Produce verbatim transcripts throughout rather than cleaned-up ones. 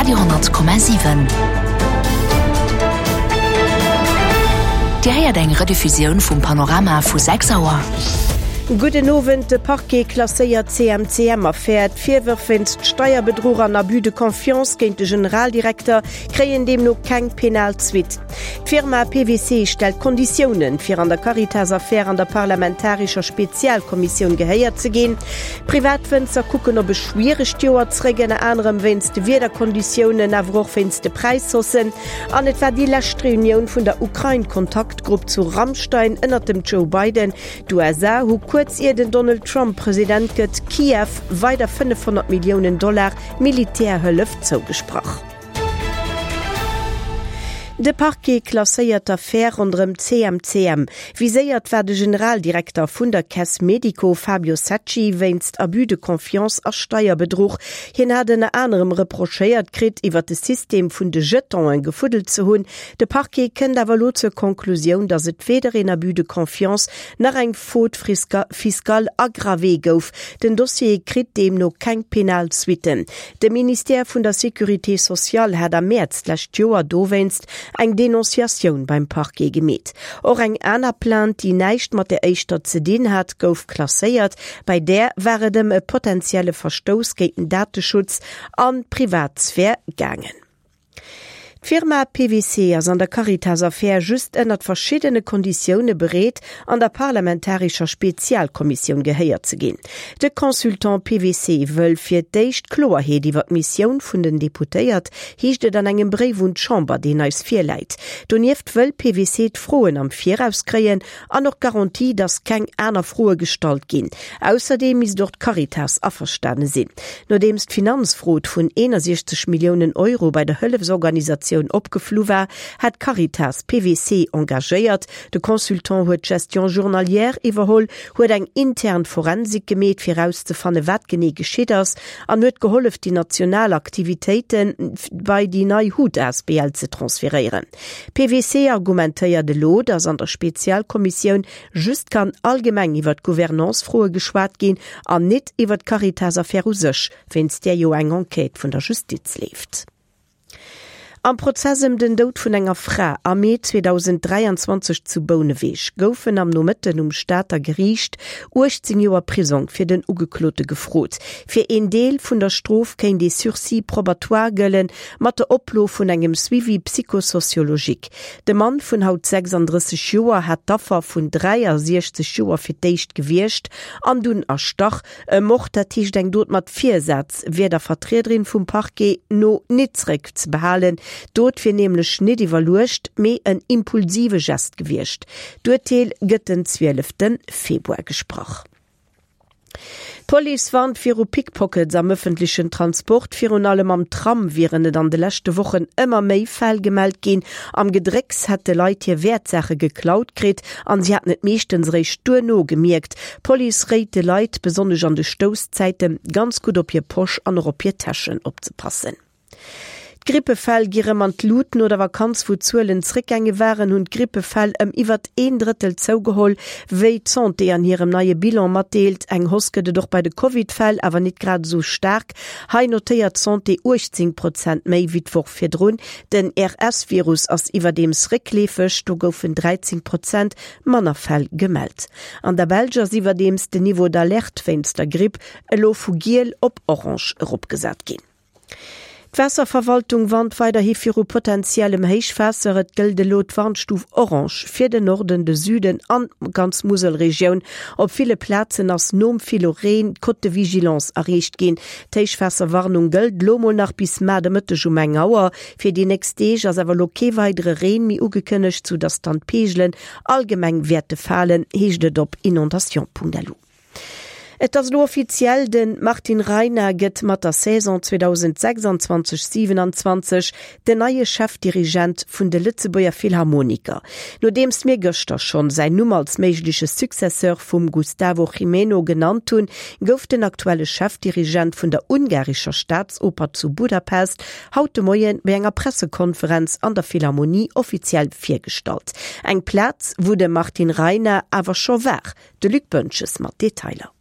Radio honnert Komma siwen. Dir héiert eng Rediffusioun vum Panorama vu sechs Auer. Gudden Owend, De Parquet klasséiert d'CMCM-Affär. D'Virwërf wéinst Steierbedruch an Abus de confiance géint de Generaldirekter kréien deemno keng penal Suite. D'Firma P W C stellt Konditiounen, fir an der Caritas-Affär an der parlamentarescher Spezialkommissioun gehéiert ze ginn. Privatwënzer kucken op e schwieregt Joer zeréck, ënner anerem wéinst de Wiederkonditiounen, awer och wéinst de Präishaussen. An et war déi lescht Reunioun vun der Ukrain-Kontaktgrupp zu Ramstein ënnert dem Joe Biden. D'U S A hu kuerz ier den Donald Trump President gëtt, Kiew weider fënnefhonnert Milliounen Dollar Militärhëllef zougesprach. De Parquet klasséiert d'Affär ronderëm C M C M. Viséiert war de Generaldirekter vun der Caisse Medico Fabio Secci wéinst Abus de confiance a Steierbedruch. Hien hat ënner anerem reprochéiert kritt, iwwer de System vun de Jetonen gefuddelt ze hunn. De Parquet kënnt awer elo zur Konklusioun, datt et weder een Abus de confiance nach eng Faute fiscale aggravée gouf. Den Dossier kritt deemno keng penal Suitten. De Ministère vun der Sécurité sociale hat am Mäerz d'lescht Joer dowéinst eng Denonciatioun beim Parquet gemeet. Och eng aner Plainte, déi näischt mat der éischter ze dinn hat, gouf klasséiert. Bei där war et ëm e potentielle Verstouss géint den Dateschutz an d'Privatsphär gaangen. D'Firma P W C ass an der Caritas-Affär just ënnert verschiddene Konditioune bereet, an der parlamentarescher Spezialkommissioun gehéiert ze ginn. De Consultant P W C wëll fir d'éischt Kloerheet iwwer d'Missioun vun den Deputéiert, heescht et an engem Bréif un d'Chamber, deen eis virläit. Donieft wëll P W C d'Froen am Viraus kréien an och Garantie, datt keng aner Froe gestallt ginn. Ausserdeem misst och d'Caritas averstane sinn. Nodeems d'Finanzfrod vun eenundsechzeg Milliounen Euro bei der Hëllefsorganisatioun opgeflu war, hat Caritas P W C engagéiert. De Consultant huet d'Gestion journalière iwwerholl, huet eng intern Forensik gemeet, fir erauszefanne wat genee geschitt ass, an huet gehollef, déi national Aktivitéite bei déi nei H U T A S B L ze transferéieren. P W C argumentéiert elo, datt an der Spezialkommissioun just kann allgemeng iwwer d'Gouvernance-Froe geschwat ginn an net iwwer d'Caritas-Affär u sech, wéinst där jo eng Enquête vun der Justiz leeft. Am Prozess ëm den Doud vun enger Fra am Mee zweedausend dräianzwanzeg zu Bouneweg goufen am Nomëtten um Stater Geriicht uechtzéng Joer Prisong fir den Ugeklote gefrot. Fir een Deel vun der Strof kéint de Sursis probatoire gëllen, mat der Oplo vun engem Suivi psychosociologique. De Mann vun haut sechsanddrësseg Joer hat d'Affer vun dräiasiechzeg Joer fir d'éischt gewiergt an dunn erstach. E Mord, dat heescht eng Dot mat Virsaz, wier der Vertriederin vum Parquet no net zréckzebehalen. D'Dot wier nämlech net iwwerluecht, mee en impulsive Gest gewiescht. D'Urteel gëtt den zwielefte Februar gesprach. D'Police warnt viru Pickpockets am ëffentlechen Transport. Virun allem am Tram wieren et an de leschte Wochen ëmmer méi Fäll gemellt ginn. Am Gedrécks hätte Leit hir Wäertsaache geklaut kritt an si hätten et meeschtens réischt duerno gemierkt. D'Police réit de Leit, besonnesch an de Stousszäiten, ganz gutt op hir Posch an och op hir Täschen opzepassen. D'Grippefäll gi rëm an d'Lut. No der Vakanz, wou d'Zuelen zréckgaange waren, hunn d'Grippefäll ëm iwwer een Drëttel zougeholl, wéi d'Santé an hirem neie Bilan matdeelt. Eng Hausse gëtt et och bei de Covid-Fäll, awer net grad esou staark. Hei notéiert d'Santé uechtzéng Prozent méi wéi d'Woch virdrun. Den R S-Virus ass iwwerdeems réckleefeg, do goufen dräizéng Prozent manner Fäll gemellt. An der Belsch ass iwwerdeems den Niveau d'alerte wéinst der Gripp elo vu giel op orange eropgesat ginn. D'Waasserverwaltung warnt weiderhi viru potentiellem Héichwaasser. Et gëllt elo d'Warnstuf orange fir den Norden, de Süden an d'ganz Muselregioun. Op ville Plazen ass nom ville Reen d'Cote de vigilance erreecht ginn. D'Héichwaasserwarnung gëllt lo mol nach bis mar de Mëtteg um eng Auer. Fir déi nächst Deeg ass awer lo kee weidere Reen méi ugekënnegt, soudass dann d'Peegelen allgemeng wäerte falen, heescht et op inondation Punkt L U. Et ass lo offiziell, de Martin Rajna gëtt mat der Saison zweedausendsechsanzwanzeg siewenanzwanzeg den neie Chefdirigent vun de Lëtzebuerger Philharmoniker. Nodeems mir gëschter schonn säin Numm als méigleche Successeur vum Gustavo Gimeno genannt hunn, gouf den aktuelle Chefdirigent vun der ungarischer Staatsoper zu Budapest haut de Moien bei enger Pressekonferenz an der Philharmonie offiziell virgestallt. Eng Plaz, wou de Martin Rajna awer scho war. De Luc Boentges mat Detailer.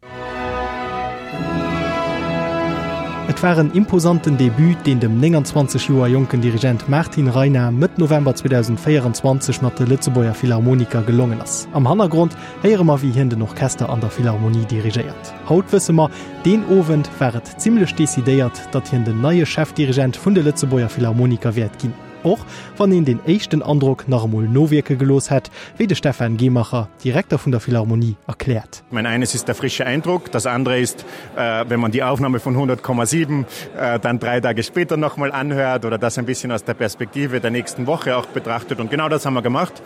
Et war en imposanten Debut, deen dem nénganzwanzeg Joer jonken Dirigent Martin Reiner Mëtt November zweedausendvéierenzwanzeg mat de Lëtzebuerger Philharmoniker gelongen ass. Am Hannergrond héiere mer, wéi hien den Orchester an der Philharmonie dirigéiert. Haut wësse mer, deen Owend war et zimmlech decidéiert, datt hien den neie Chefdirigent vun de Lëtzebuerger Philharmoniker wäert ginn. Och wann een den éischten Androck nach emol nowierke gelooss hätt, wéi de Stefan Gehmacher, Direkter vun der Philharmonie, erkläert. Ich meine, eines ist der frische Eindruck, das andere ist, wenn man die Aufnahme von hundert Komma sieben dann drei Tage später nochmal anhört oder das ein bisschen aus der Perspektive der nächsten Woche auch betrachtet. Und genau das haben wir gemacht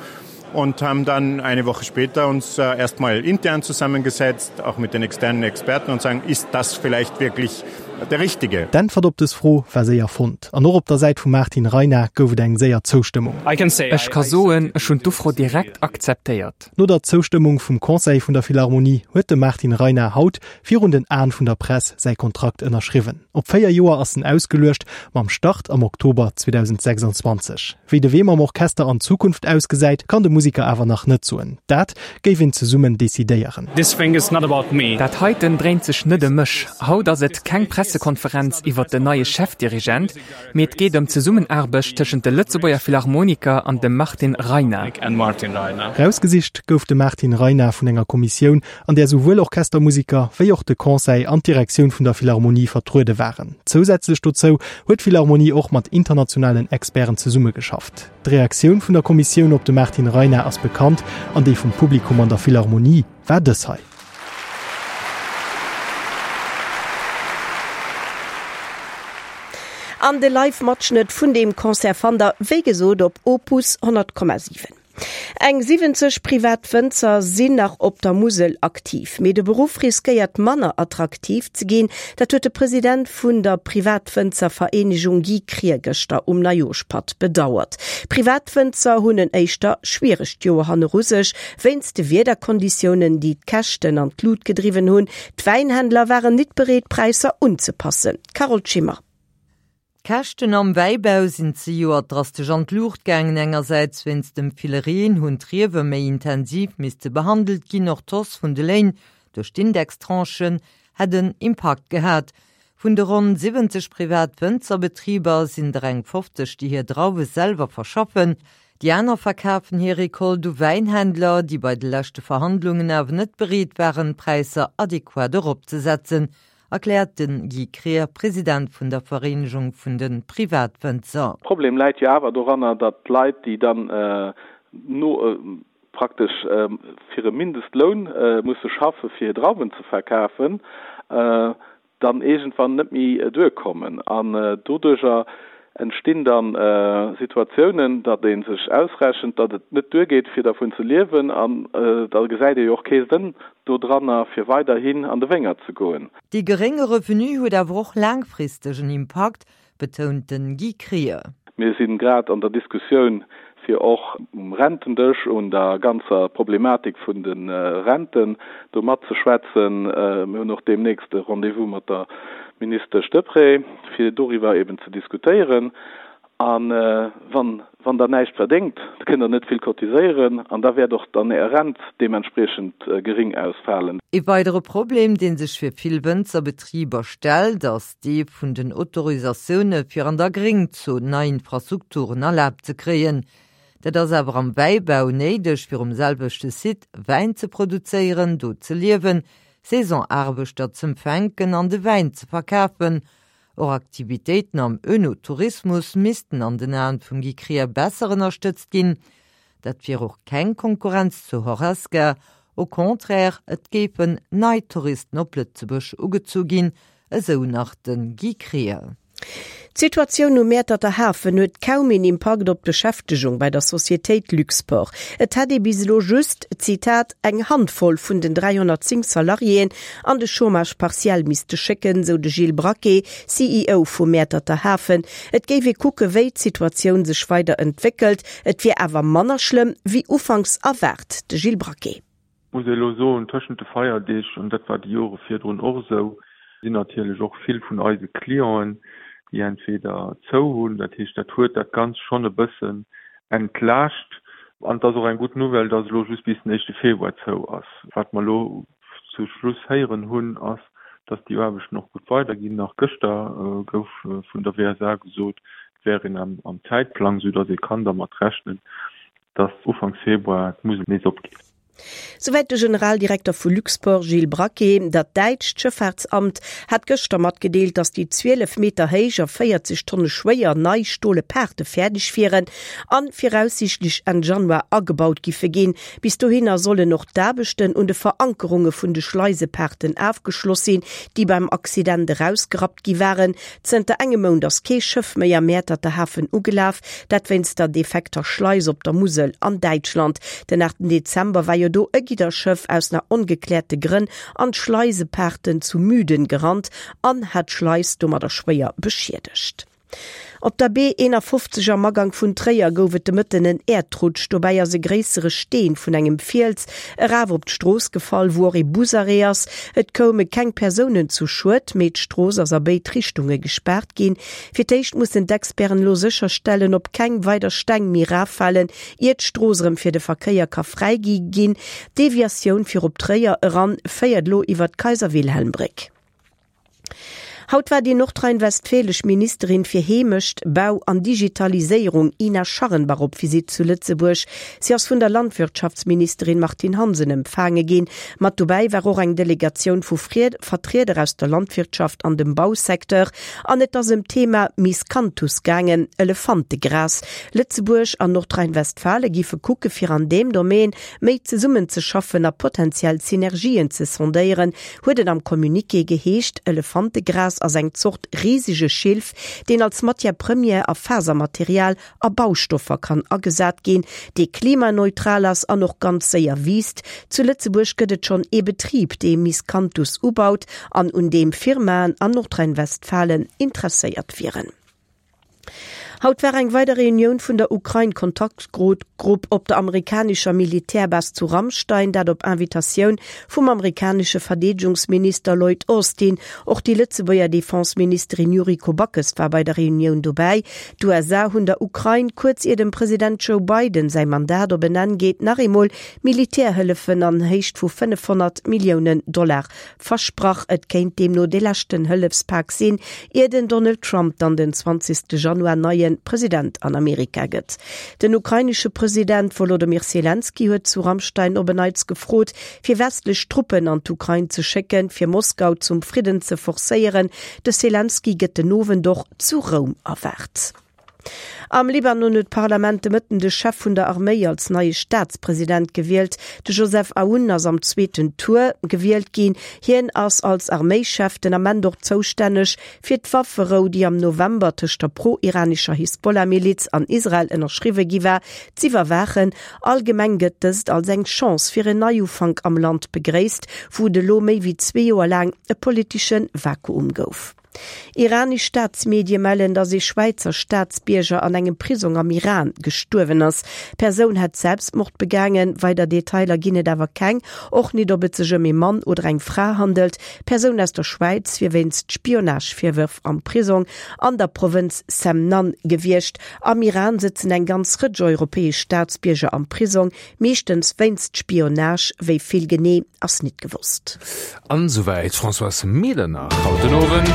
und haben dann eine Woche später uns erstmal intern zusammengesetzt, auch mit den externen Experten und sagen, ist das vielleicht wirklich der Richtige? D'Äntwert op dës Fro war séier fonnt. An och op der Säit vum Martin Reiner gouf et eng séier Zoustëmmung. Ech ka soen, ech hunn d'Ufro direkt akzeptéiert. No der Zoustëmmung vum Conseil vun der Philharmonie huet de Martin Reiner haut virun den Aen vun der Press säi Kontrakt ënnerschriwwen. Op véier Joer ass en ausgeluecht, mam Start am Oktober zweedausendsechsundzwanzeg. Wéi de Wee mam Orchester an Zukunft ausgesäit, kann de Musiker awer nach net soen. Dat géif een zesummen decidéieren. This thing is not about me. Dat heiten dréint sech net ëm mech. Haut ass et keng Pressekonferenz iwwer den neie Chefdirigent, mee et geet ëm d'Zesummenaarbecht tëschent de Lëtzebuerger Philharmoniker an dem Martin Reiner. And Martin Reiner. Rausgesicht gouf de Martin Reiner vun enger Kommissioun, an där souwuel Orchestermusiker wéi och de Conseil an d'Direktioun vun der Philharmonie vertruede waren. Zousätzlech dozou huet d'Philharmonie och mat internationalen Experten zesummegeschafft. D'Reaktioun vun der Kommissioun op de Martin Reiner ass bekannt an déi vum Publikum an der Philharmonie war dës hei. An de Live-Matschnëtt vun deem Concert fannt der, wéi gesot, op Opus honnert Komma siwen. Eng siwwenzeg privat Wënzer sinn nach op der Musel aktiv, mee de Beruff riskéiert manner attraktiv ze ginn. Dat huet de President vun der Privatwënzervereenegung Guy Krier gëschter um Neijooschpatt bedauert. Privatwënzer hunn en éischter schwieregt Joer hanneru sech, wéinst de Wiederkonditiounen, déi d'Käschten an d'Lut gedriwwen hunn. D'Wäinhändler waren nit bereet, Präisser unzepassen. Carole Schimmer. D'Käschten am Wäibau sinn zejoert drastesch an d'Luucht gaangen. Engersäits wéinst dem ville Reen hunn d'Riewe méi intensiv misste behandelt ginn, och d'Hausse vun de Léin duerch d'Indextranchen hätt en Impakt gehat. Vun de ronn siwwenzeg privat Wënzerbetriber sinn der eng fofzeg, déi hir Drauwe selwer verschaffen. Déi aner verkafen hir Recolte u Wäinhändler, déi bei de leschte Verhandlungen awer net bereet waren, d'Präisser adequat eropzesetzen, erkläert den Guy Krier, President vun der Vereenegung vun den Privatwënzer. Problem läit jo awer doranner, datt d'Leit, déi dann no praktesch fir e Mindestloun musse schaffe fir hir Drauwen ze verkafen, dann iergendwann net méi duerkommen. An doduercher entstinn dann Situatiounen, datt ee sech ausrechent, datt et net duergeet, fir dervun ze liewen, an da gesäit ee jo och kee Sënn dodranner, fir weiderhin an de Wéngert ze goen. Dee gerénge Revenu huet awer och laangfristeg en Impakt, betount den Guy Krier. Mir sinn grad an der Diskussioun, fir och um Rentendësch un der ganzer Problematik vun de Renten do matzeschwätzen. Mir hunn och deemnächst e Rendez-vous mat der Ministesch Deprez, fir doriwwer eben ze diskutéieren. An wann, wann der näischt verdéngt, da kënnt der net vill cotiséieren an da wäert och dann Är Rent deementspriechend gering ausfalen. E weidere Problem, dee sech fir vill Wënzerbetriber stellt, ass dee vun den Autorisatioune fir an der Gréngzon nei Infrastrukturen erlaabt ze kréien. Dat ass awer am Wäibau néideg, fir um selwechte Site Wäin ze produzéieren, do ze liewen, Saisonaarbechter z'empfänken an de Wäin ze verkafen. Och Aktivitéiten am Önotourismus missten an den Aen vum Guy Krier besser ënnerstëtzt ginn. Dat wier och keng Konkurrenz zu Horesca. Au contraire, et géifen nei Touristen op Lëtzebuerg ugezu ginn, esou nach den Guy Krier. D'Situatioun um Mäerterter Hafen huet kaum een Impakt op d'Beschäftegung bei der Societéit Luxport. Et hätt ee bis elo just, Zitat, eng Handvoll vun den dräihonnertzéng Salariéen an de Chômage partiel misste schécken, sou de Gilles Braquet, C E O vum Mäerterter Hafen. Et géif ee kucke, wéi d'Situatioun sech weider entwéckelt. Et wier awer manner schlëmm wéi ufanks erwaart, de Gilles Braquet. Muss ee elo soen, tëschent de Feierdeeg, an dat war déi Jore virdrun och esou, sinn natierlech och vill vun eise Clienten, déi entweder zou hunn, dat heescht, dat huet dat Ganzt schonn e bëssen entlaascht. An et ass och eng gutt Nouvelle, dass elo just bis den éischte Februar zou ass. Wat mer elo zu Schluss héieren hunn, ass, dass déi Aarbechten och gutt weiderginn. Nach gëschter gouf vun der WSA gesot, et wär een am Zäitplang, soudass ee kann dermat rechnen, dass Ufanks Februar d'Musel nees opgeet. Souwäit de Generaldirekter vu Luxport Gilles Braquet. Dat däitscht Schëffaartsamt hat gëschter matgedeelt, datt déi zwielef Meter héich a véierzeg Tonne schwéier nei stole Paarte fäerdeg wieren a viraussiichtlech Enn Januar agebaut giffe ginn. Bis dohinner sollen och d'Aarbechten un de Verankerunge vun de Schleisepaarten afgeschloss sinn, déi beim Accident erausgerappt gi waren. Zënter engem Mount ass kee Schëff méi am Mäerterter Hafen ugelaf, dat wéinst der defekter Schleis op der Musel an Däitschland. Den aachten Dezember war jo do e Gidderschëff aus nach ongekläerte Grënn an d'Schleisepaarten zu Müden gerannt an hat d'Schleis domadder schwéier beschiedegt. Op der B eenafofzeg am Agank vun Tréier gouf et de Mëtten en Äerdrutsch. Dobäi ass e gréissere Steen vun engem Fiels eraf op d'Strooss gefall, wou och ee Busarrêt ass. Et koume keng Persounen zu Schued, mee d'Strooss ass a béid Richtunge gespaart ginn. Fir d'éischt mussen d'Experten elo sécherstellen, ob keng weider Steng méi eraffalen, ier d'Strooss erëm fir de Verkéier ka fräigi ginn. D'Deviatioun fir op Tréier eran féiert elo iwwer d'Kaiser-Wilhelm-Bréck. Haut war déi nordrhein-westfälesch Ministerin fir Heemecht, Bau an Digitaliséierung Ina Scharrenbach op Visitt zu Lëtzebuerg. Si ass vun der Landwirtschaftsministerin Martine Hansen empfaange ginn. Mat dobäi war och eng Delegatioun vu Vertrieder aus der Landwirtschaft an dem Bausecteur. An et ass ëm d'Thema Miscanthus gaangen, Elefantegras. Lëtzebuerg an Nordrhein-Westfale giffe kucke fir an deem Domaine méi zesummenzeschaffen a potentiell Synergien ze sondéieren, huet et am Communiqué geheescht. Elefantegras ass eng Zort risege Schilf, deen als Matière première a Fasermaterial a Baustoffer kann agesat ginn, dee klimaneutral ass an och ganz séier wiisst. Zu Lëtzebuerg gëtt et schonn ee Betrib, dee Miscanthus ubaut an un deem Firmaen an Nordrhein-Westfalen interesséiert wieren. Haut war eng weider Reunioun vun der Ukrain-Kontaktgrupp op der amerikanescher Militärbase zu Ramstein, dat op Invitatioun vum amerikanesche Verdeedegungsminister Lloyd Austin. Och déi Lëtzebuerger Defenseministerin Yuriko Backes war bei der Reunioun dobäi. D'USA hunn der Ukrain, kuerz ier dem President Joe Biden säi Mandat op en Enn geet, nach eemol Militärhëllefen an Héicht vu fënnefhonnert Milliounen Dollar versprach. Et kéint deemno dee leschten Hëllefspak sinn, ier den Donald Trump dann den zwanzegste Januar neie President an Amerika gëtt. Den ukrainesche President Wolodymyr Selenskyj huet zu Ramstein op en Neits gefrot, fir westlech Truppen an d'Ukrain ze schécken, fir Moskau zum Fridden ze forcéieren. De Selenskyj gëtt den Owend och zu Roum erwaart. Am Libanon huet d'Parlament de Mëtten de Chef vun der Arméi als neie Staatspresident gewielt. De Joseph Aoun ass am zweeten Tour gewielt ginn. Hien ass als Arméischef den Ament och zoustänneg fir d'Wafferou, déi am November tëscht der pro-iranescher Hisbollah-Miliz an Israel ënnerschriwwe gi war, z'iwwerwaachen. Allgemeng gëtt dëst als eng Chance fir en Neiufank am Land begréisst, wou et elo méi wéi zwee Joer laang e politesche Vakuum gouf. Iranesch Staatsmedie mellen, datt ee Schwäizer Staatsbierger an engem Prisong am Iran gestuerwen ass. D'Persoun hätt Selbstmord begaangen. Weider Detailer ginn et awer keng, och nit ob et sech ëm ee Mann oder eng Fra handelt. D'Persoun aus der Schwäiz wier wéinst Spionage-Virwërf am Prisong an der Provënz Semnan gewiescht. Am Iran sëtzen eng ganz Rëtsch europäesch Staatsbierger am Prisong, meeschtens wéinst Spionage. Wéi vill genee ass nit gewosst. An esouwäit d'Françoise Medernach haut den Owend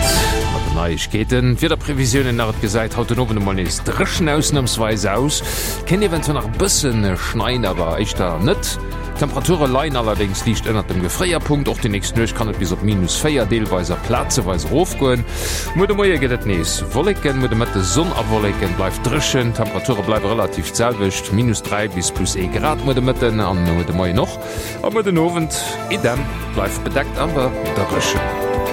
mat den Neiegkeeten. D'Wiederprevisiounen nach, Et gesäit haut den Owend emol nees dréchen ausnamsweis aus, kéint eventuell nach e bëssen schneien, awer éischter net. D'Temperature leien allerdéngs liicht ënnert dem Gefréierpunkt. Och déi nächst Nuecht kann et bis op minus véier, deelweis a plazeweis erofgoen. Muer de Moie gëtt et nees Wolleken, muer de Mëtte Sonn a Wolleken, bleift dréchen. D'Temperature bleiwe relativ d'selwecht, minus dräi bis plus ee Grad muer de Mëtten an muer de Moien och. A muer den Owend idem, bleift bedeckt awer dréchen.